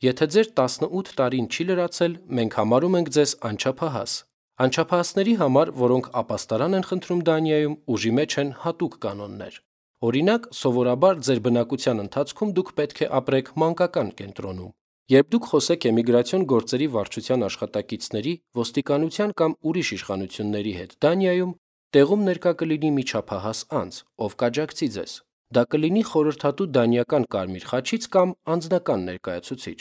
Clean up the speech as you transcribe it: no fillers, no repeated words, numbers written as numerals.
Եթե ձեր 18 տարին չի լրացել, մենք համարում ենք ձեզ անչափահաս։ Անչափահասների համար, որոնք ապաստարան են խնդրում Դանիայում, ուժի մեջ են հատուկ կանոններ։ Օրինակ, սովորաբար ձեր բնակության ընթացքում դուք պետք է ապրեք մանկական կենտրոնում։ Երբ դուք խոսեք էմիգրացիոն գործերի վարչության աշխատակիցների, ոստիկանության կամ ուրիշ իշխանությունների հետ Դանիայում, տեղում ներկա կլինի մի չափահաս անձ, ով կաջակցի ձեզ։ Դա կլինի խորհրդատու դանիական կարմիր խաչից կամ անձնական ներկայացուցիչ։